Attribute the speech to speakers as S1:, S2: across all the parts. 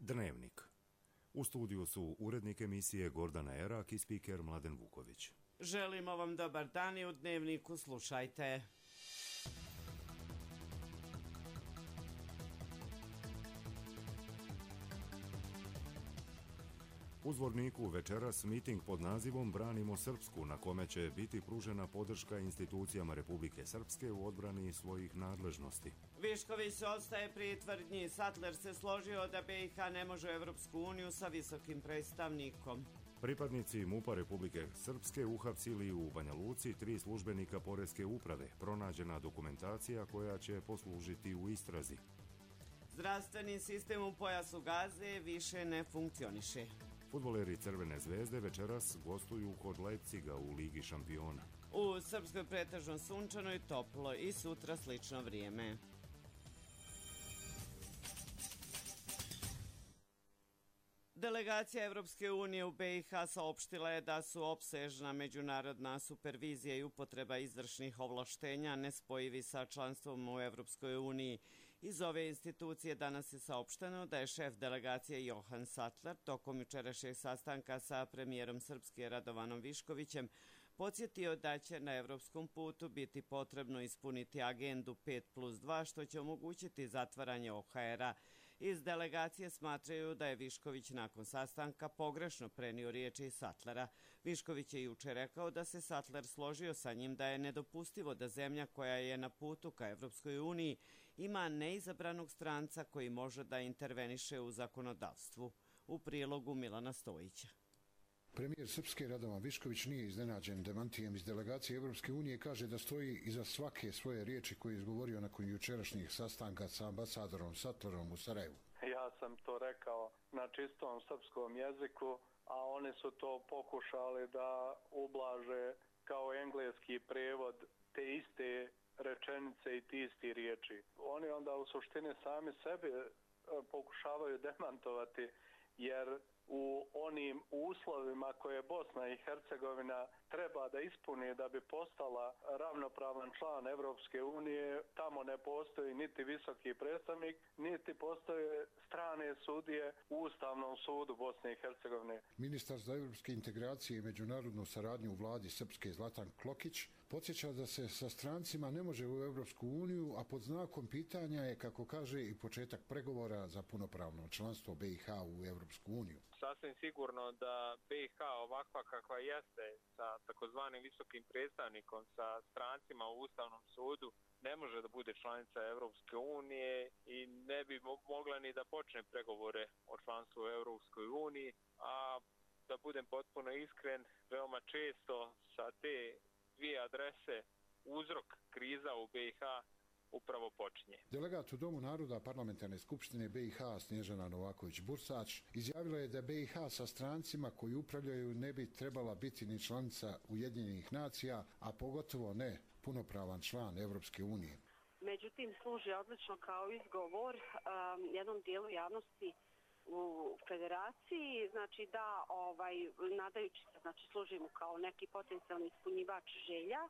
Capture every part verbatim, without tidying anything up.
S1: Dnevnik. U studiju su urednik emisije Gordana Erak i spiker Mladen Vuković.
S2: Želimo vam dobar dan i u Dnevniku slušajte.
S1: U Zvorniku večeras miting pod nazivom Branimo Srpsku, na kome će biti pružena podrška institucijama Republike Srpske u odbrani svojih nadležnosti.
S2: Višković se ostaje pri tvrdnji. Sattler se složio da B i H ne može u Evropsku uniju sa visokim predstavnikom.
S1: Pripadnici MUP-a Republike Srpske uhapsili u Banja Luci tri službenika Poreske uprave. Pronađena dokumentacija koja će poslužiti u istrazi.
S2: Zdravstveni sistem u pojasu Gaze više ne funkcioniše.
S1: Fudbaleri Crvene zvezde večeras gostuju kod Leipziga u Ligi šampiona.
S2: U Srpskoj pretežno sunčano i toplo i sutra slično vrijeme. Delegacija Evropske unije u B i H saopštila je da su opsežna međunarodna supervizija i upotreba izvršnih ovlaštenja nespojivi sa članstvom u Evropskoj uniji. Iz ove institucije danas je saopšteno da je šef delegacije Johan Sattler tokom jučerašnjeg sastanka sa premijerom Srpske Radovanom Viškovićem podsjetio da će na evropskom putu biti potrebno ispuniti agendu pet plus dva, što će omogućiti zatvaranje O H R-a. Iz delegacije smatraju da je Višković nakon sastanka pogrešno prenio riječi Sattlera. Višković je juče rekao da se Sattler složio sa njim da je nedopustivo da zemlja koja je na putu ka Evropskoj uniji ima neizabranog stranca koji može da interveniše u zakonodavstvu. U prilogu Milana Stojića.
S3: Premijer Srpske Radovan Višković nije iznenađen demantijem iz delegacije Evropske unije i kaže da stoji iza svake svoje riječi koje je izgovorio nakon jučerašnjih sastanka sa ambasadorom Sattlerom u Sarajevu.
S4: Ja sam to rekao na čistom srpskom jeziku, a oni su to pokušali da ublaže kao engleski prevod te iste rečenice i ti isti riječi. Oni onda u suštini sami sebe pokušavaju demantovati, jer u onim uslovima koje Bosna i Hercegovina treba da ispuni da bi postala ravnopravan član Evropske unije, tamo ne postoji niti visoki predstavnik, niti postoje strane sudije u Ustavnom sudu Bosne i Hercegovine.
S3: Ministar za evropske integracije i međunarodnu saradnju u vladi Srpske Zlatan Klokić podsjeća da se sa strancima ne može u Evropsku uniju, a pod znakom pitanja je, kako kaže, i početak pregovora za punopravno članstvo B i H u Evropsku uniju.
S5: Sasvim sigurno da B i H ovakva kakva jeste sa takozvanim visokim predstavnikom, sa strancima u Ustavnom sudu, ne može da bude članica Evropske unije i ne bi mogla ni da počne pregovore o članstvu u Evropskoj uniji, a da budem potpuno iskren, veoma često sa te dvije adrese uzrok kriza u B i H upravo počinje.
S3: Delegat u Domu naroda Parlamentarne skupštine B i H Snježana Novaković-Bursać izjavila je da B i H sa strancima koji upravljaju ne bi trebala biti ni članica Ujedinjenih nacija, a pogotovo ne punopravan član Evropske unije.
S6: Međutim, služi odlično kao izgovor um, jednom dijelu javnosti u federaciji, znači da ovaj, nadajući se, znači služimo kao neki potencijalni ispunjivač želja.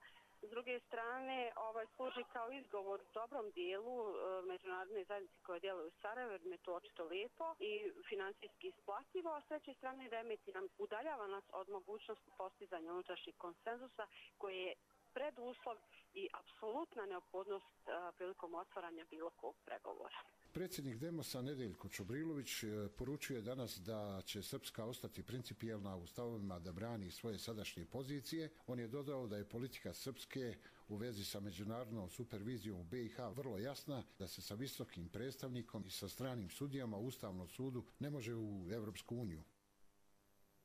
S6: S druge strane, ovaj služi kao izgovor dobrom dijelu e, međunarodne zajednice koje djeluju u Sarajevu, jer me to očito lijepo i financijski isplativo, a s treće strane remeti nam, udaljava nas od mogućnosti postizanja unutrašnjeg konsenzusa koji je preduslov i apsolutna neophodnost e, prilikom otvaranja bilo kog pregovora.
S3: Predsjednik Demosa Nedeljko Čobrilović poručuje danas da će Srpska ostati principijelna u stavovima da brani svoje sadašnje pozicije. On je dodao da je politika Srpske u vezi sa međunarodnom supervizijom u B i H vrlo jasna, da se sa visokim predstavnikom i sa stranim sudijama u Ustavnom sudu ne može u Evropsku uniju.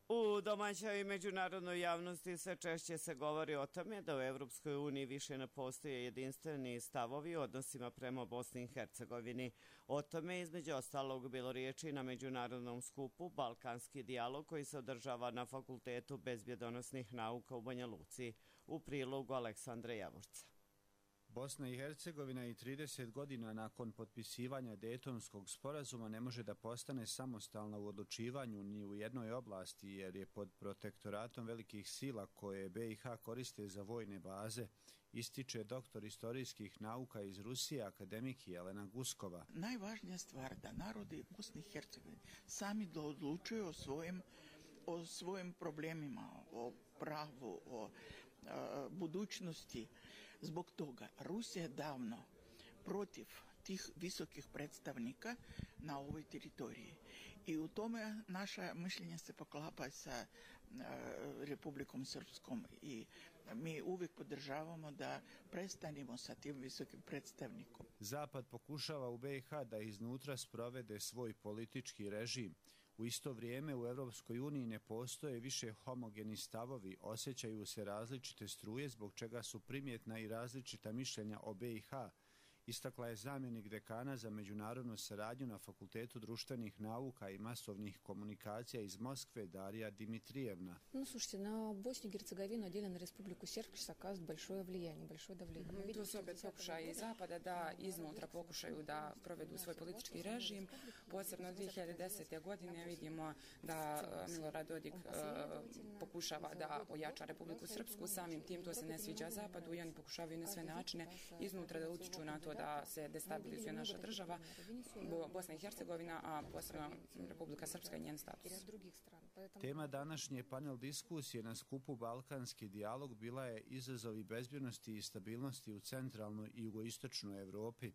S2: U domaćoj i međunarodnoj javnosti sve češće se govori o tome da u Evropskoj uniji više ne postoje jedinstveni stavovi u odnosima prema Bosni i Hercegovini. O tome između ostalog bilo riječi na međunarodnom skupu Balkanski dijalog koji se održava na Fakultetu bezbjedonosnih nauka u Banja Luci. U prilogu Aleksandra Javorca.
S7: Bosna i Hercegovina i trideset godina nakon potpisivanja Dejtonskog sporazuma ne može da postane samostalna u odlučivanju ni u jednoj oblasti jer je pod protektoratom velikih sila koje B i H koriste za vojne baze, ističe doktor istorijskih nauka iz Rusije, akademik Jelena Guskova.
S8: Najvažnija stvar da narodi Bosne i Hercegovine sami da odlučuju o svojim, o svojim problemima, o pravu, o a, budućnosti. Zbog toga Rusija je davno protiv tih visokih predstavnika na ovoj teritoriji. I u tome naša mišljenja se poklapa sa Republikom Srpskom i mi uvijek podržavamo da prestanemo sa tim visokim predstavnikom.
S7: Zapad pokušava u B i H da iznutra sprovede svoj politički režim. U isto vrijeme u Europskoj uniji ne postoje više homogeni stavovi, osjećaju se različite struje zbog čega su primjetna i različita mišljenja o B i H. Istakla je zamjenik dekana za međunarodnu saradnju na Fakultetu društvenih nauka i masovnih komunikacija iz Moskve Darija Dimitrijevna.
S9: Ну, слушайте, на Боснию и Герцеговину, отдельно на Республику Сербск оказывает большое влияние, большое давление.
S10: To su opet pokušaji Zapada da iznutra pokušaju da provedu svoj politički režim. Posebno dvije hiljade desete. godine vidimo da Milorad Dodik pokušava da ojača Republiku Srpsku. Samim tim to se ne sviđa Zapadu i oni pokušavaju na sve načine iznutra da utiču na to da se destabilizuje naša država, Bosna i Hercegovina, a posebno Republika Srpska i njen status.
S7: Tema današnje panel diskusije na skupu Balkanski dijalog bila je izazovi bezbjednosti i stabilnosti u centralnoj i jugoistočnoj Evropi.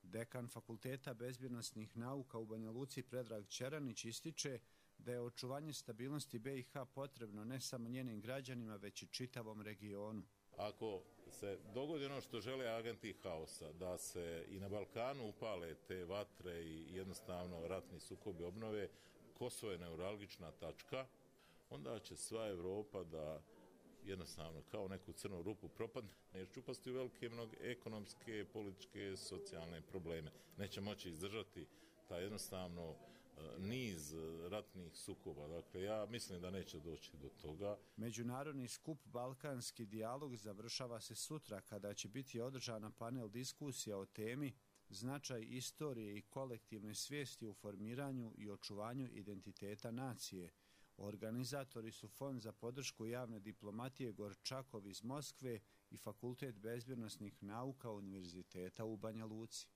S7: Dekan Fakulteta bezbjednosnih nauka u Banja Luci Predrag Ćeranić ističe da je očuvanje stabilnosti B i H potrebno ne samo njenim građanima, već i čitavom regionu.
S11: Ako se dogodi ono što žele agenti haosa, da se i na Balkanu upale te vatre i jednostavno ratni sukobi obnove, Kosovo je neuralgična tačka, onda će sva Evropa da jednostavno kao neku crnu rupu propadne, jer će upasti u velike mnoge ekonomske, političke, socijalne probleme. Neće moći izdržati ta jednostavno niz ratnih sukoba. Dakle, ja mislim da neće doći do toga.
S7: Međunarodni skup Balkanski dijalog završava se sutra kada će biti održana panel diskusija o temi značaj istorije i kolektivne svijesti u formiranju i očuvanju identiteta nacije. Organizatori su Fond za podršku javne diplomatije Gorčakov iz Moskve i Fakultet bezbjednosnih nauka Univerziteta u Banja Luci.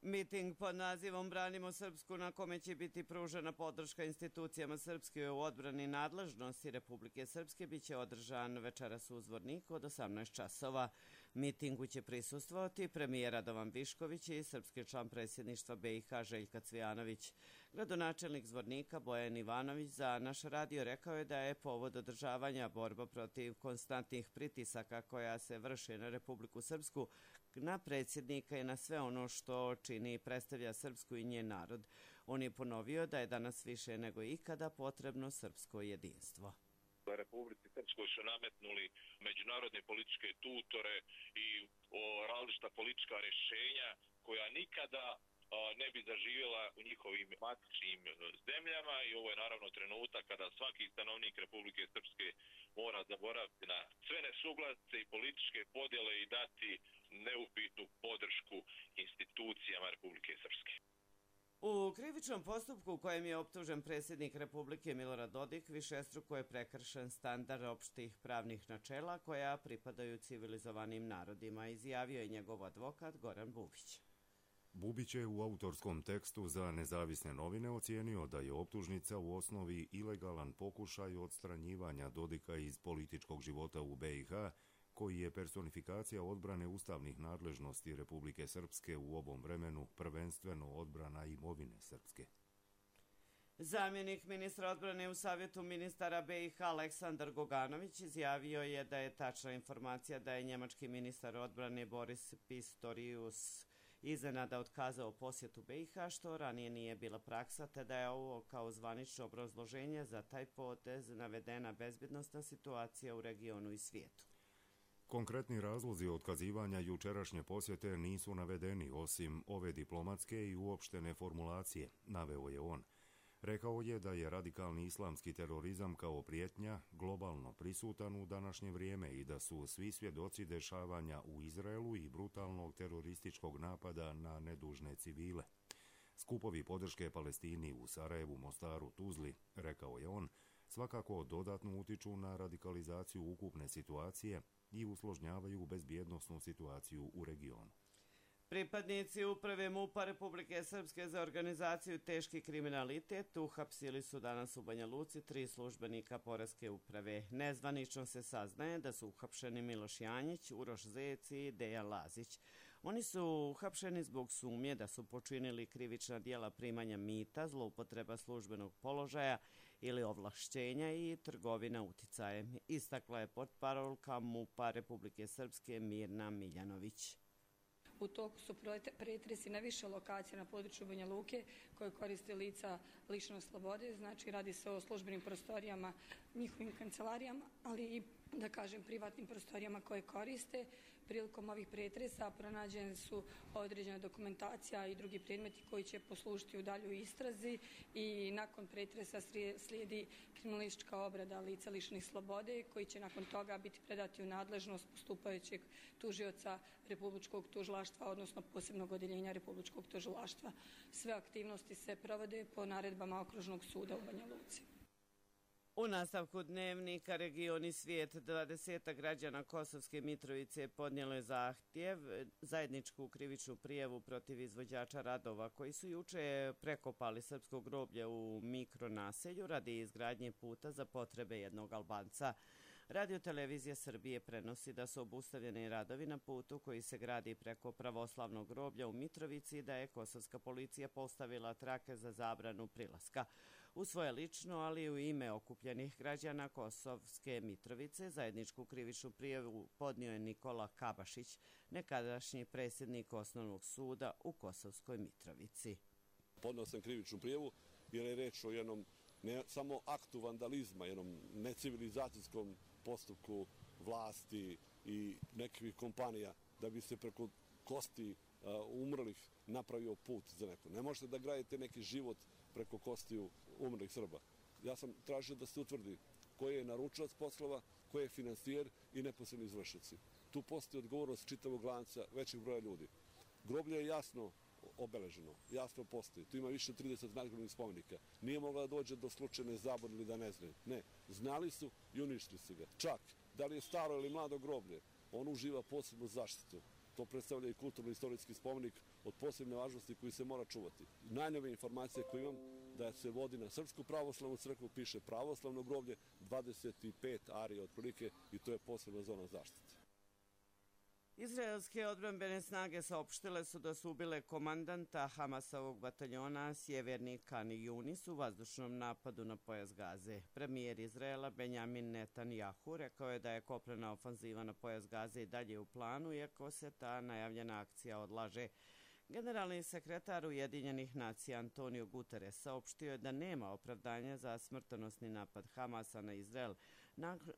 S2: Miting pod nazivom Branimo Srpsku, na kome će biti pružena podrška institucijama Srpske u odbrani nadležnosti Republike Srpske, biće održan večeras u Zvorniku od osamnaest časova. Mitingu će prisustvovati premijer Radovan Višković i srpski član predsjedništva B i H Željka Cvijanović. Gradonačelnik Zvornika Bojan Ivanović za naš radio rekao je da je povod održavanja borba protiv konstantnih pritisaka koja se vrše na Republiku Srpsku, na predsjednika i na sve ono što čini i predstavlja Srpsku i njen narod. On je ponovio da je danas više nego ikada potrebno srpsko jedinstvo.
S12: Republici Srpskoj su nametnuli međunarodne političke tutore i različita politička rješenja koja nikada ne bi zaživjela u njihovim matičnim zemljama i ovo je naravno trenutak kada svaki stanovnik Republike Srpske mora zaboraviti na sve nesuglasice i političke podjele i dati neupitnu podršku institucijama Republike Srpske.
S2: U krivičnom postupku u kojem je optužen predsjednik Republike Milorad Dodik višestruko je prekršen standard opštih pravnih načela koja pripadaju civilizovanim narodima, izjavio je njegov advokat Goran Bubić.
S1: Bubić je u autorskom tekstu za nezavisne novine ocijenio da je optužnica u osnovi ilegalan pokušaj odstranjivanja Dodika iz političkog života u B i H, koji je personifikacija odbrane ustavnih nadležnosti Republike Srpske u ovom vremenu, prvenstveno odbrana imovine Srpske.
S2: Zamjenik ministra odbrane u Savjetu ministara B i H Aleksandar Goganović izjavio je da je tačna informacija da je njemački ministar odbrane Boris Pistorius iznenada otkazao posjetu B i H, što ranije nije bila praksa, te da je ovo kao zvanično obrazloženje za taj potez navedena bezbjednosna situacija u regionu i svijetu.
S1: Konkretni razlozi otkazivanja jučerašnje posjete nisu navedeni, osim ove diplomatske i uopštene formulacije, naveo je on. Rekao je da je radikalni islamski terorizam kao prijetnja globalno prisutan u današnje vrijeme i da su svi svjedoci dešavanja u Izraelu i brutalnog terorističkog napada na nedužne civile. Skupovi podrške Palestini u Sarajevu, Mostaru, Tuzli, rekao je on, svakako dodatno utiču na radikalizaciju ukupne situacije i usložnjavaju bezbjednosnu situaciju u regionu.
S2: Pripadnici Uprave MUP-a Republike Srpske za organizaciju teški kriminalitet uhapsili su danas u Banja Luci tri službenika Poreske uprave. Nezvanično se saznaje da su uhapšeni Miloš Janjić, Uroš Zec i Dejan Lazić. Oni su uhapšeni zbog sumnje da su počinili krivična djela primanja mita, zloupotreba službenog položaja ili ovlašćenja i trgovina uticajem, istakla je portparolka MUP-a Republike Srpske Mirna Miljanović.
S13: U toku su pretresi na više lokacija na području Banja Luke koje koriste lica lišenog slobode, znači radi se o službenim prostorijama, njihovim kancelarijama, ali i, da kažem, privatnim prostorijama koje koriste. Prilikom ovih pretresa pronađene su određena dokumentacija i drugi predmeti koji će poslužiti u daljoj istrazi i nakon pretresa slijedi kriminalistička obrada lica lišenih slobode koji će nakon toga biti predati u nadležnost postupajućeg tužioca Republičkog tužilaštva, odnosno posebnog odeljenja Republičkog tužilaštva. Sve aktivnosti se provode po naredbama Okružnog suda u Banja Luci.
S2: U nastavku dnevnika Region i svijet, dvadeset građana Kosovske Mitrovice podnijelo je zahtjev, zajedničku krivičnu prijavu protiv izvođača radova koji su juče prekopali srpsko groblje u mikronaselju radi izgradnje puta za potrebe jednog Albanca. Radio-televizija Srbije prenosi da su obustavljeni radovi na putu koji se gradi preko pravoslavnog groblja u Mitrovici i da je kosovska policija postavila trake za zabranu prilaska. U svoje lično, ali i u ime okupljenih građana Kosovske Mitrovice, zajedničku krivičnu prijavu podnio je Nikola Kabašić, nekadašnji predsjednik Osnovnog suda u Kosovskoj Mitrovici.
S14: Podnio sam krivičnu prijavu jer je reč o jednom ne samo aktu vandalizma, jednom necivilizacijskom postupku vlasti i nekih kompanija da bi se preko kosti uh, umrlih napravio put za neko. Ne možete da gradite neki život preko kostiju umrlih Srba. Ja sam tražio da se utvrdi koji je naručilac poslova, koji je finansijer i neposredni izvršioci. Tu postoji odgovornost čitavog lanca većeg broja ljudi. Groblje je jasno obeleženo, jasno postoji. Tu ima više od trideset nadgrobnih spomenika. Nije mogla da dođe do slučajne zabune ili da ne znaju. Ne, znali su i uništili su ga. Čak, da li je staro ili mlado groblje, on uživa posebnu zaštitu. To predstavlja i kulturno-istorijski spomenik od posebne važnosti koji se mora čuvati. Najnove informacije koje imam da se vodi na Srpsku pravoslavnu crkvu, piše pravoslavno groblje, dvadeset pet arija otprilike i to je posebna zona zaštite.
S2: Izraelske odbrambene snage saopštile su da su ubile komandanta Hamasovog bataljona Sjeverni Kan Yunis u vazdušnom napadu na pojas Gaze. Premijer Izraela Benjamin Netanjahu rekao je da je kopnena ofanziva na pojas Gaze i dalje u planu, iako se ta najavljena akcija odlaže. Generalni sekretar Ujedinjenih nacija Antonio Guterres saopštio je da nema opravdanja za smrtonosni napad Hamasa na Izrael,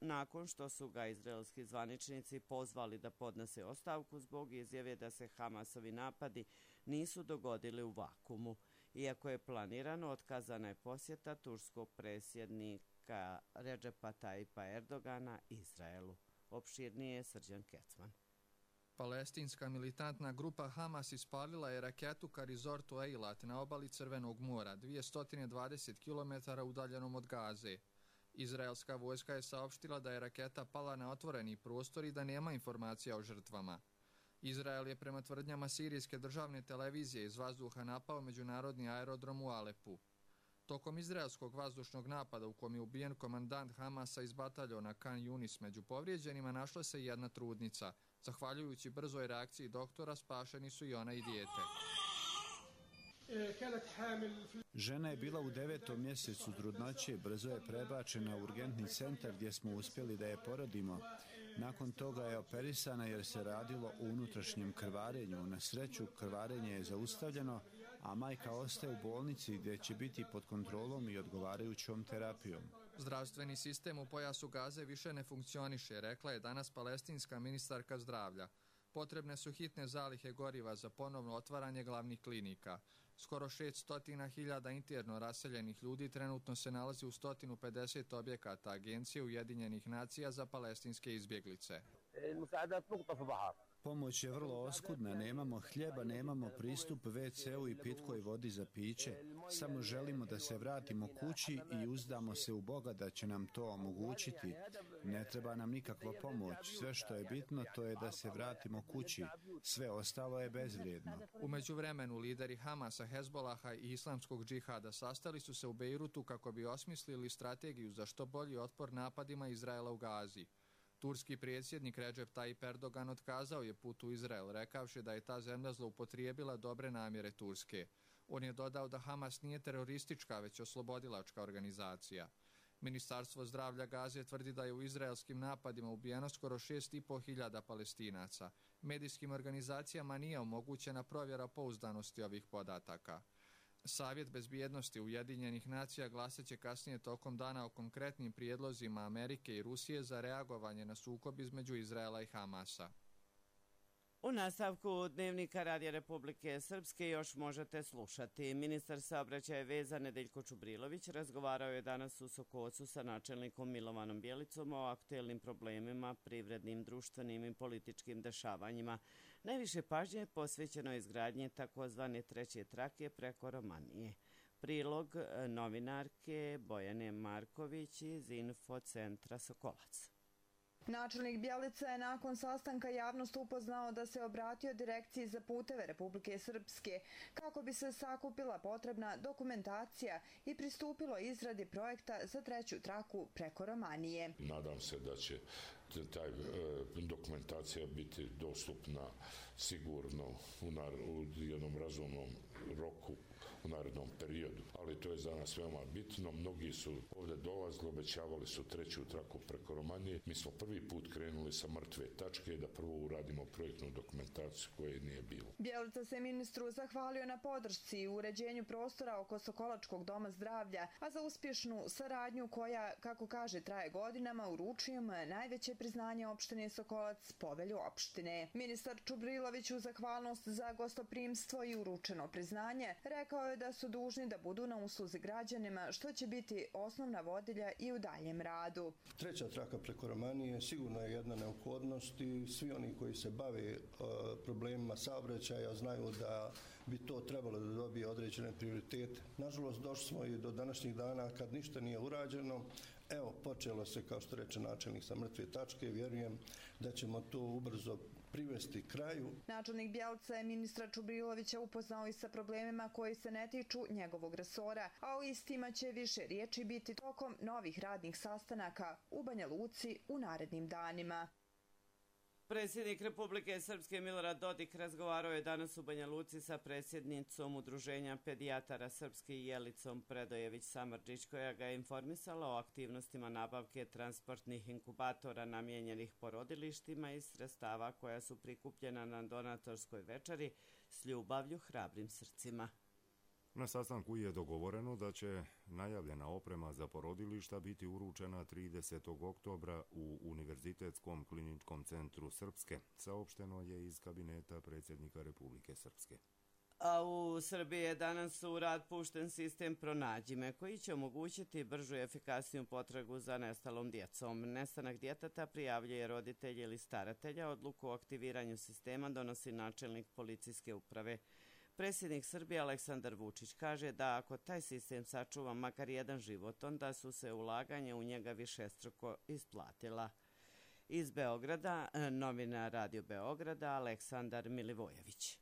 S2: nakon što su ga izraelski zvaničnici pozvali da podnese ostavku zbog izjave da se Hamasovi napadi nisu dogodili u vakumu. Iako je planirano, otkazana je posjeta turskog predsjednika Redžepa Tajipa Erdogana Izraelu. Opširnije je Srđan Kecman.
S15: Palestinska militantna grupa Hamas ispalila je raketu ka rizortu Eilat na obali Crvenog mora, dvjesto dvadeset kilometara udaljenom od Gaze. Izraelska vojska je saopštila da je raketa pala na otvoreni prostor i da nema informacija o žrtvama. Izrael je prema tvrdnjama sirijske državne televizije iz vazduha napao međunarodni aerodrom u Alepu. Tokom izraelskog vazdušnog napada u kom je ubijen komandant Hamasa iz bataljona Kan Yunis među povrijeđenima našla se jedna trudnica. Zahvaljujući brzoj reakciji doktora spašeni su i ona i dijete.
S7: Žena je bila u devetom mjesecu trudnoće, brzo je prebačena u urgentni centar gdje smo uspjeli da je porodimo. Nakon toga je operisana jer se radilo o unutrašnjem krvarenju. Na sreću krvarenje je zaustavljeno, a majka ostaje u bolnici gdje će biti pod kontrolom i odgovarajućom terapijom.
S15: Zdravstveni sistem u pojasu Gaze više ne funkcioniše, rekla je danas palestinska ministarka zdravlja. Potrebne su hitne zalihe goriva za ponovno otvaranje glavnih klinika. Skoro šest hiljada interno raseljenih ljudi trenutno se nalazi u sto pedeset objekata Agencije Ujedinjenih nacija za palestinske izbjeglice.
S7: Pomoć je vrlo oskudna, nemamo hljeba, nemamo pristup ve ce u i pitkoj vodi za piće. Samo želimo da se vratimo kući i uzdamo se u Boga da će nam to omogućiti. Ne treba nam nikakva pomoć. Sve što je bitno to je da se vratimo kući. Sve ostalo je bezvrijedno.
S15: U međuvremenu lideri Hamasa, Hezbolaha i Islamskog džihada sastali su se u Bejrutu kako bi osmislili strategiju za što bolji otpor napadima Izraela u Gazi. Turski predsjednik Recep Tayyip Erdogan otkazao je put u Izrael, rekavši da je ta zemlja zloupotrijebila dobre namjere Turske. On je dodao da Hamas nije teroristička, već oslobodilačka organizacija. Ministarstvo zdravlja Gaze tvrdi da je u izraelskim napadima ubijeno skoro šest i po hiljada Palestinaca. Medijskim organizacijama nije omogućena provjera pouzdanosti ovih podataka. Savjet bezbjednosti Ujedinjenih nacija glasat će kasnije tokom dana o konkretnim prijedlozima Amerike i Rusije za reagovanje na sukob između Izraela i Hamasa.
S2: U nastavku Dnevnika Radija Republike Srpske još možete slušati. Ministar saobraćaja i veza Nedeljko Čubrilović razgovarao je danas u Sokocu sa načelnikom Milovanom Bjelicom o aktuelnim problemima, privrednim, društvenim i političkim dešavanjima. Najviše pažnje je posvećeno izgradnje takozvane treće trake preko Romanije. Prilog novinarke Bojane Marković iz Infocentra Sokolac.
S16: Načelnik Bjelica je nakon sastanka javnost upoznao da se obratio Direkciji za puteve Republike Srpske kako bi se sakupila potrebna dokumentacija i pristupilo izradi projekta za treću traku preko Romanije.
S17: Nadam se da će taj dokumentacija biti dostupna sigurno u, nar, u jednom razumnom roku u narednom periodu, ali to je za nas veoma bitno. Mnogi su ovdje dolazili, obećavali su treću traku preko Romanije. Mi smo prvi put krenuli sa mrtve tačke da prvo uradimo projektnu dokumentaciju koje nije bilo.
S16: Bjelica se ministru zahvalio na podršci i uređenju prostora oko Sokolačkog doma zdravlja, a za uspješnu saradnju koja, kako kaže, traje godinama, uručujem najveće priznanje opštine Sokolac, povelju opštine. Ministar Čubrilović u zahvalnost za gostoprimstvo i uručeno priznanje rekao je da su dužni da budu na usluzi građanima, što će biti osnovna vodilja i u daljem radu.
S18: Treća traka preko Romanije sigurno je jedna neophodnost i svi oni koji se bave uh, problemima saobraćaja znaju da bi to trebalo da dobije određene prioritete. Nažalost, došli smo i do današnjih dana kad ništa nije urađeno. Evo, počelo se, kao što reče načelnik, sa mrtve tačke. Vjerujem da ćemo to ubrzo privesti kraju.
S16: Načelnik Bjelica je ministra Čubrilovića upoznao i sa problemima koji se ne tiču njegovog resora, a o istima će više riječi biti tokom novih radnih sastanaka u Banja Luci u narednim danima.
S2: Predsjednik Republike Srpske Milorad Dodik razgovarao je danas u Banja Luci sa predsjednicom Udruženja pedijatara Srpske Jelicom Predojević Samardžić, koja ga je informisala o aktivnostima nabavke transportnih inkubatora namijenjenih porodilištima i sredstava koja su prikupljena na donatorskoj večeri s ljubavlju hrabrim srcima.
S1: Na sastanku je dogovoreno da će najavljena oprema za porodilišta biti uručena tridesetog oktobra u Univerzitetskom kliničkom centru Srpske, saopšteno je iz kabineta predsjednika Republike Srpske.
S2: A u Srbiji je danas u rad pušten sistem Pronađi me, koji će omogućiti bržu i efikasniju potragu za nestalom djecom. Nestanak djeteta prijavljuje roditelj ili staratelja, odluku o aktiviranju sistema donosi načelnik policijske uprave. Predsjednik Srbije Aleksandar Vučić kaže da ako taj sistem sačuva makar jedan život, onda su se ulaganje u njega višestruko isplatila. Iz Beograda, novina Radio Beograda, Aleksandar Milivojević.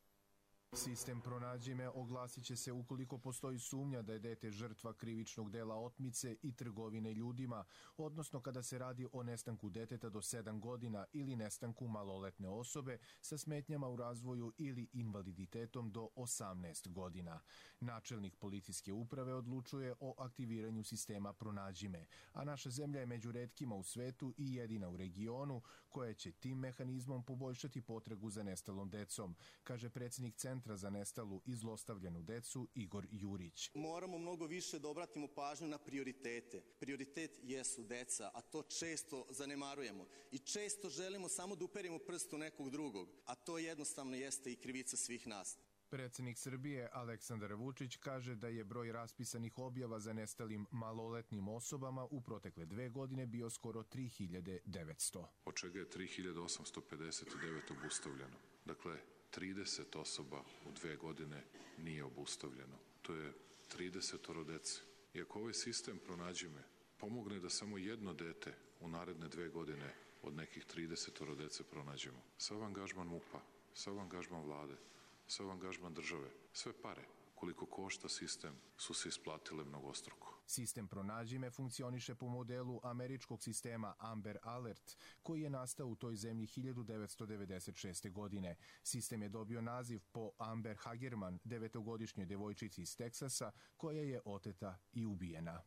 S19: Sistem Pronađi me oglasit će se ukoliko postoji sumnja da je dete žrtva krivičnog dela otmice i trgovine ljudima, odnosno kada se radi o nestanku deteta do sedam godina ili nestanku maloletne osobe sa smetnjama u razvoju ili invaliditetom do osamnaest godina. Načelnik policijske uprave odlučuje o aktiviranju sistema Pronađi me, a naša zemlja je među retkima u svetu i jedina u regionu koja će tim mehanizmom poboljšati potragu za nestalom decom, kaže predsjednik centra Centra za nestalu i zlostavljenu decu Igor Jurić.
S20: Moramo mnogo više da obratimo pažnju na prioritete. Prioritet jesu deca, a to često zanemarujemo. I često želimo samo da uperimo prst u nekog drugog, a to jednostavno jeste i krivica svih nas.
S19: Predsjednik Srbije Aleksandar Vučić kaže da je broj raspisanih objava za nestalim maloletnim osobama u protekle dve godine bio skoro tri hiljade devetsto.
S21: Od čega je tri hiljade osamsto pedeset devet obustavljeno. Dakle, trideset osoba u dve godine nije obustavljeno. To je trideset dece. I ako ovaj sistem Pronađi me pomogne da samo jedno dete u naredne dve godine od nekih trideset dece pronađemo, sav angažman MUP-a, sav angažman vlade, sav angažman države, sve pare, koliko košta sistem, su se isplatile mnogostruko.
S19: Sistem Pronađi me funkcioniše po modelu američkog sistema Amber Alert, koji je nastao u toj zemlji hiljadu devetsto devedeset šeste. godine. Sistem je dobio naziv po Amber Hagerman, devetogodišnjoj devojčici iz Teksasa, koja je oteta i ubijena.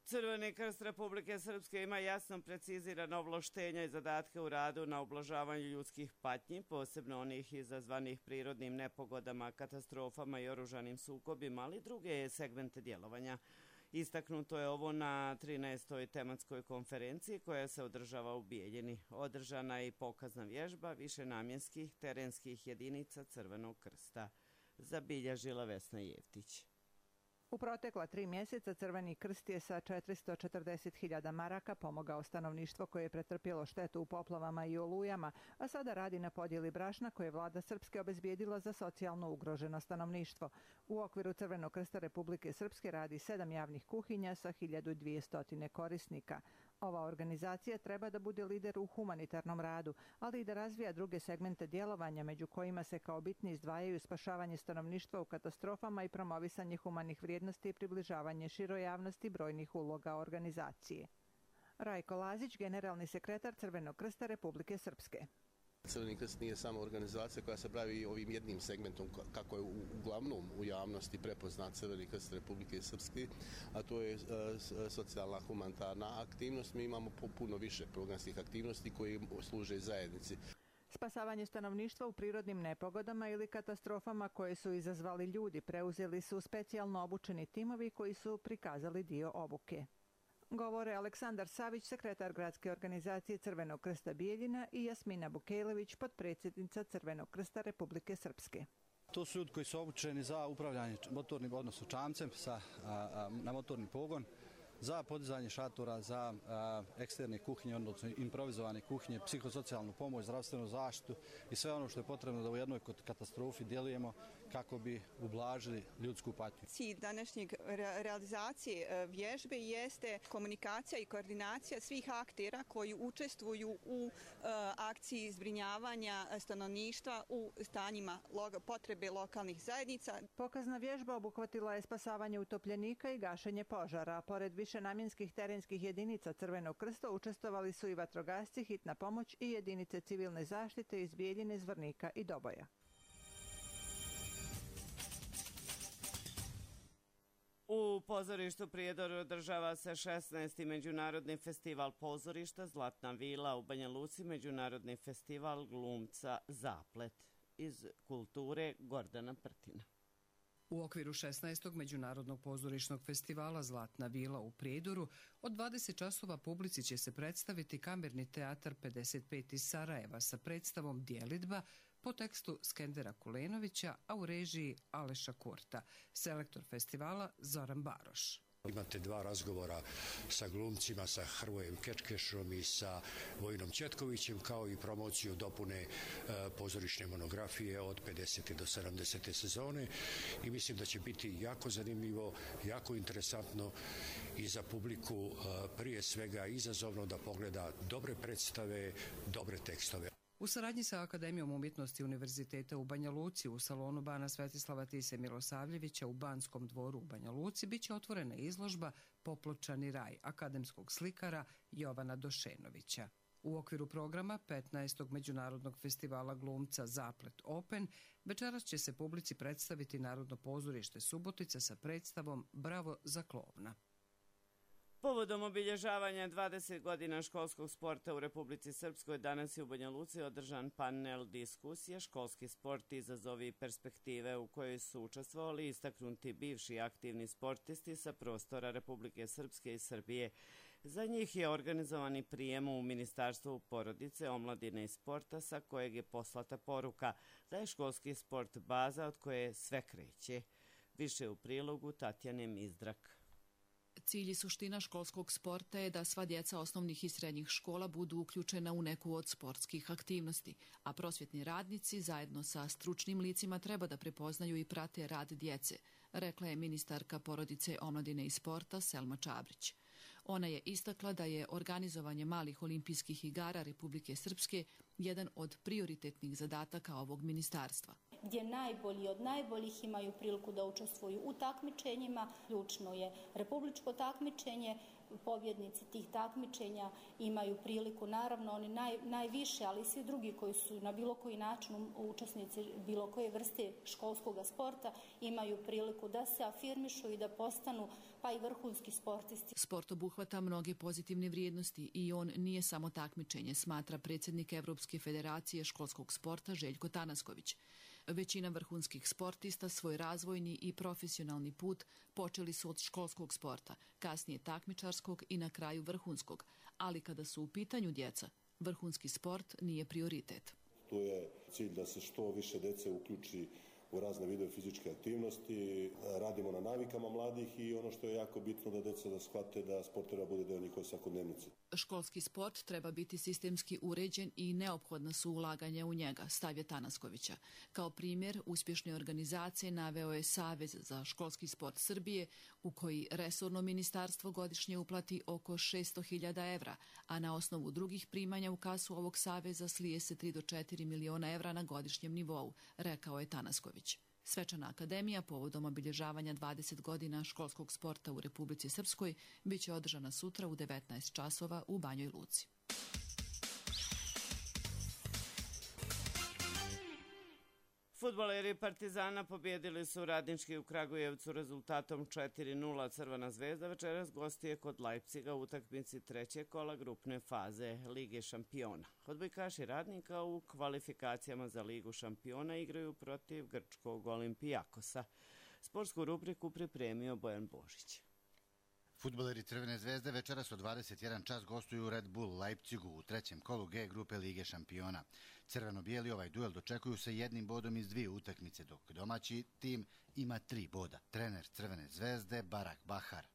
S2: Crveni krst Republike Srpske ima jasno precizirana ovlaštenja i zadatke u radu na ublažavanju ljudskih patnji, posebno onih izazvanih prirodnim nepogodama, katastrofama i oružanim sukobima, ali druge segmente djelovanja. Istaknuto je ovo na trinaestoj tematskoj konferenciji koja se održava u Bijeljini. Održana je i pokazna vježba višenamjenskih terenskih jedinica Crvenog krsta. Zabilježila Vesna Jeftić.
S22: U protekla tri mjeseca Crveni krst je sa četiristo četrdeset hiljada maraka pomogao stanovništvo koje je pretrpjelo štetu u poplavama i olujama, a sada radi na podjeli brašna koje je vlada Srpske obezbijedila za socijalno ugroženo stanovništvo. U okviru Crvenog krsta Republike Srpske radi sedam javnih kuhinja sa hiljadu dvjesto korisnika. Ova organizacija treba da bude lider u humanitarnom radu, ali i da razvija druge segmente djelovanja, među kojima se kao bitni izdvajaju spašavanje stanovništva u katastrofama i promovisanje humanih vrijednosti i približavanje široj javnosti brojnih uloga organizacije. Rajko Lazić, generalni sekretar Crvenog krsta Republike Srpske.
S23: Crveni krst nije samo organizacija koja se bavi ovim jednim segmentom kako je uglavnom u javnosti prepoznat Crveni krst Republike Srpske, a to je socijalna humanitarna aktivnost. Mi imamo puno više programskih aktivnosti koje služe zajednici.
S22: Spasavanje stanovništva u prirodnim nepogodama ili katastrofama koje su izazvali ljudi preuzeli su specijalno obučeni timovi koji su prikazali dio obuke. Govore Aleksandar Savić, sekretar gradske organizacije Crvenog krsta Bijeljina, i Jasmina Bukejlović, potpredsjednica Crvenog krsta Republike Srpske.
S24: To su ljudi koji su obučeni za upravljanje motornim, odnosno čamcem sa, a, a, na motorni pogon, za podizanje šatora, za a, eksterne kuhinje, odnosno improvizovane kuhinje, psihosocijalnu pomoć, zdravstvenu zaštitu i sve ono što je potrebno da u jednoj katastrofi djelujemo kako bi ublažili ljudsku patnju.
S25: Cilj današnjeg re realizacije vježbe jeste komunikacija i koordinacija svih aktera koji učestvuju u uh, akciji zbrinjavanja stanovništva u stanjima lo potrebe lokalnih zajednica.
S22: Pokazna vježba obuhvatila je spasavanje utopljenika i gašenje požara. Pored višenamjenskih terenskih jedinica Crvenog krsta učestvovali su i vatrogasci, hitna pomoć i jedinice civilne zaštite iz Bijeljine, Zvornika i Doboja.
S2: U pozorištu Prijedor održava se šesnaesti međunarodni festival pozorišta Zlatna vila, u Banja Luci međunarodni festival glumca Zaplet. Iz kulture Gordana Prtina.
S26: U okviru šesnaestog međunarodnog pozorišnog festivala Zlatna vila u Prijedoru od dvadeset časova publici će se predstaviti Kamerni teatar pedeset pet iz Sarajeva sa predstavom Djelidba po tekstu Skendera Kulenovića, a u režiji Aleša Kurta. Selektor festivala Zoran Baroš.
S27: Imate dva razgovora sa glumcima, sa Hrvojem Kečkešom i sa Vojinom Četkovićem, kao i promociju dopune e, pozorišne monografije od pedesete do sedamdesete sezone, i mislim da će biti jako zanimljivo, jako interesantno i za publiku, e, prije svega izazovno da pogleda dobre predstave, dobre tekstove.
S26: U saradnji sa Akademijom umjetnosti Univerziteta u Banja Luci u salonu Bana Svetislava Tise Milosavljevića u Banskom dvoru u Banja Luci biće otvorena izložba Popločani raj akademskog slikara Jovana Došenovića. U okviru programa petnaestog međunarodnog festivala glumca Zaplet Open večeras će se publici predstaviti Narodno pozorište Subotica sa predstavom Bravo za klovna.
S2: Povodom obilježavanja dvadeset godina školskog sporta u Republici Srpskoj danas je u Banja Luci održan panel diskusije Školski sport, izazovi i perspektive, u kojoj su učestvovali istaknuti bivši aktivni sportisti sa prostora Republike Srpske i Srbije. Za njih je organizovani prijem u Ministarstvu porodice, omladine i sporta, sa kojeg je poslata poruka da je školski sport baza od koje sve kreće. Više u prilogu Tatjane Mizdrak.
S3: Cilj i suština školskog sporta je da sva djeca osnovnih i srednjih škola budu uključena u neku od sportskih aktivnosti, a prosvjetni radnici zajedno sa stručnim licima treba da prepoznaju i prate rad djece, rekla je ministarka porodice, omladine i sporta Selma Čabrić. Ona je istakla da je organizovanje malih olimpijskih igara Republike Srpske jedan od prioritetnih zadataka ovog ministarstva.
S4: Gdje najbolji od najboljih imaju priliku da učestvuju u takmičenjima. Ključno je republičko takmičenje, pobjednici tih takmičenja imaju priliku, naravno oni naj, najviše, ali i svi drugi koji su na bilo koji način učesnici bilo koje vrste školskog sporta imaju priliku da se afirmišu i da postanu pa i vrhunski sportisti.
S3: Sport obuhvata mnoge pozitivne vrijednosti i on nije samo takmičenje, smatra predsjednik Evropske federacije školskog sporta Željko Tanasković. Većina vrhunskih sportista svoj razvojni i profesionalni put počeli su od školskog sporta, kasnije takmičarskog i na kraju vrhunskog, ali kada su u pitanju djeca, vrhunski sport nije prioritet.
S5: Tu je cilj da se što više djece uključi u razne vidove fizičke aktivnosti, radimo na navikama mladih i ono što je jako bitno da djeca da shvate da sport treba bude deo njihove svakodnevnice.
S3: Školski sport treba biti sistemski uređen i neophodna su ulaganja u njega, stav je Tanaskovića. Kao primjer uspješne organizacije naveo je Savez za školski sport Srbije, u koji resorno ministarstvo godišnje uplati oko šesto hiljada evra, a na osnovu drugih primanja u kasu ovog saveza slije se tri do četiri miliona evra na godišnjem nivou, rekao je Tanasković. Svečana akademija povodom obilježavanja dvadeset godina školskog sporta u Republici Srpskoj biće održana sutra u devetnaest časova u Banjoj Luci.
S2: Fudbaleri Partizana pobjedili su Radnički u Kragujevcu rezultatom četiri nula. Crvena zvezda večeras gostuje kod Leipziga u utakmici trećeg kola grupne faze Lige šampiona. Odbojkaši Radnika u kvalifikacijama za Ligu šampiona igraju protiv grčkog Olimpijakosa. Sportsku rubriku pripremio Bojan Božić.
S6: Fudbaleri Crvene zvezde večeras u dvadeset jedan čas gostuju u Red Bull Leipzigu u trećem kolu G grupe Lige šampiona. Crveno-bijeli ovaj duel dočekuju se jednim bodom iz dvije utakmice, dok domaći tim ima tri boda. Trener Crvene zvezde Barak Bahar.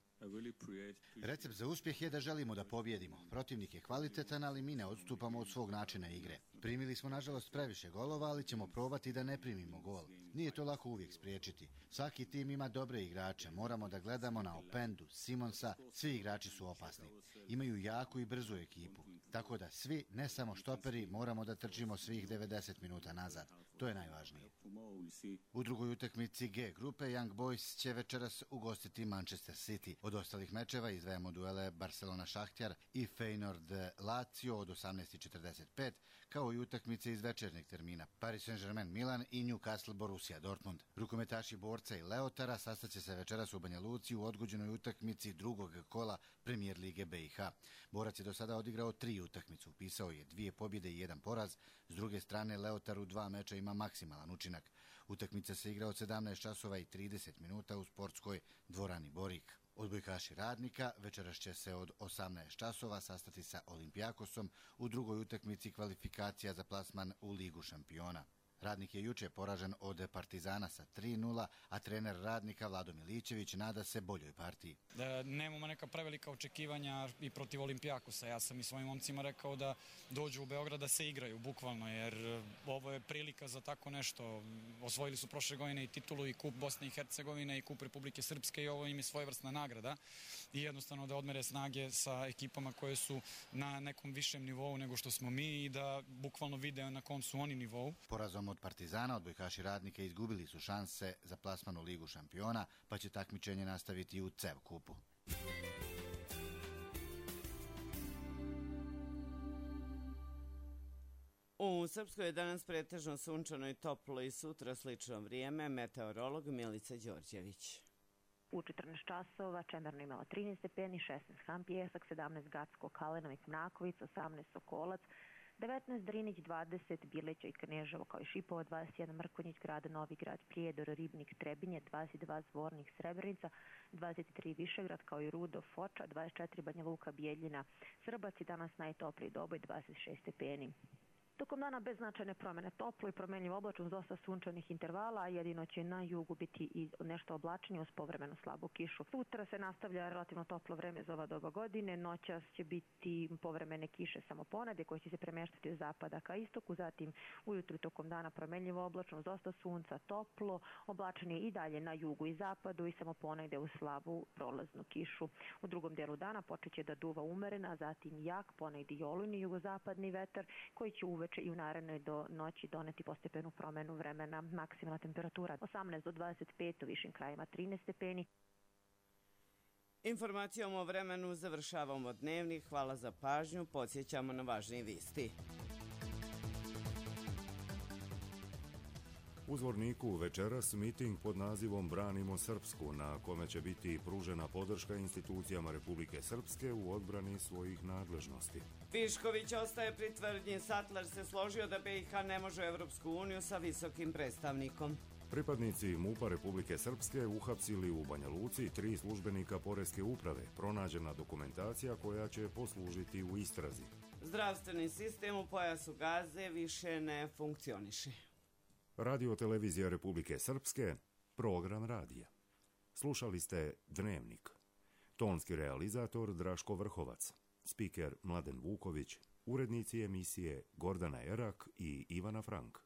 S6: Recept za uspjeh je da želimo da pobjedimo. Protivnik je kvalitetan, ali mi ne odstupamo od svog načina igre. Primili smo nažalost previše golova, ali ćemo probati da ne primimo gol. Nije to lako uvijek spriječiti. Svaki tim ima dobre igrače. Moramo da gledamo na Opendu, Simonsa. Svi igrači su opasni. Imaju jaku i brzu ekipu. Tako da svi, ne samo štoperi, moramo da trčimo svih devedeset minuta nazad. To je najvažnije. U drugoj utakmici G grupe Young Boys će večeras ugostiti Manchester City. Od ostalih mečeva izdvajamo duele Barcelona-Šahtjar i Feyenoord-Lazio od osamnaest četrdeset pet, kao i utakmice iz večernjeg termina Paris Saint-Germain-Milan i Newcastle-Borussia Dortmund. Rukometaši Borca i Leotara sastaće se večeras u Banja Luci u odgođenoj utakmici drugog kola Premijer Lige B i H. Borac je do sada odigrao tri utakmice, upisao je dvije pobjede i jedan poraz. S druge strane, Leotar u dva meča ima maksimalan učinak. Utakmica se igra od sedamnaest časova i trideset minuta u sportskoj dvorani Borik. Odbojkaši Radnika večeras će se od osamnaest časova sastati sa Olimpijakosom u drugoj utakmici kvalifikacija za plasman u Ligu šampiona. Radnik je juče poražen od Partizana sa tri nula, a trener Radnika Vlado Milićević nada se boljoj partiji.
S8: Da nemamo neka prevelika očekivanja i protiv Olimpijakosa. Ja sam i svojim momcima rekao da dođu u Beograd da se igraju, bukvalno, jer ovo je prilika za tako nešto. Osvojili su prošle godine i titulu i kup Bosne i Hercegovine i kup Republike Srpske i ovo im je svojevrsna nagrada. I jednostavno da odmere snage sa ekipama koje su na nekom višem nivou nego što smo mi i da bukvalno vide na kom su oni nivou.
S6: Porazom od Partizana odbojkaši Radnika izgubili su šanse za plasman u Ligu šampiona, pa će takmičenje nastaviti u C E V kupu.
S2: U Srpskoj je danas pretežno sunčano i toplo i sutra slično vrijeme, meteorolog Milica Đorđević.
S7: U četrnaest časova Čemerno imala trinaest stepeni, šesnaest Han Pijesak, sedamnaest Gacko, Kalenović, Mrakovic, osamnaest Sokolac, devetnaest Drinić, dvadeset Bileća i Kneževo kao i Šipova, dvadeset jedan Mrkonjić, Grad Novi Grad, Prijedor, Ribnik, Trebinje, dvadeset dva Zvornik, Srebrenica, dvadeset tri Višegrad kao i Rudo, Foča, dvadeset četiri Banja Luka, Bijeljina, Srbac i danas najtopliji Doboj, dvadeset šest stepeni. Tokom dana bez značajne promene, toplo i promenljivo oblačno s dosta sunčanih intervala, a jedino će na jugu biti i nešto oblačnije uz povremeno slabu kišu. Sutra se nastavlja relativno toplo vreme za ova doba godine, noćas će biti povremene kiše samo ponedje koje će se premeštati od zapada ka istoku, zatim ujutru tokom dana promenljivo oblačno s dosta sunca, toplo, oblačnije i dalje na jugu i zapadu i samo ponegde uz slabu prolaznu kišu. U drugom delu dana počet će da duva umerena, a zatim jak, ponegde i olujni jugozapadni vetar koji će uveče i u narednoj do noći doneti postepenu promenu vremena. Maksimalna temperatura osamnaest do dvadeset pet, u višim krajima trinaest stepeni.
S2: Informacijom o vremenu završavamo dnevnik. Hvala za pažnju. Podsjećamo na važne vesti.
S1: U Zvorniku večeras miting pod nazivom Branimo Srpsku, na kome će biti pružena podrška institucijama Republike Srpske u odbrani svojih nadležnosti.
S2: Višković ostaje pri tvrdnji. Sattler se složio da B i H ne može u Evropsku uniju sa visokim predstavnikom.
S1: Pripadnici MUP-a Republike Srpske uhapsili u Banja Luci tri službenika Poreske uprave. Pronađena dokumentacija koja će poslužiti u istrazi.
S2: Zdravstveni sistem u pojasu Gaze više ne funkcioniše.
S1: Radio Televizija Republike Srpske, program radija. Slušali ste Dnevnik. Tonski realizator Draško Vrhovac, spiker Mladen Vuković, urednici emisije Gordana Erak i Ivana Frank.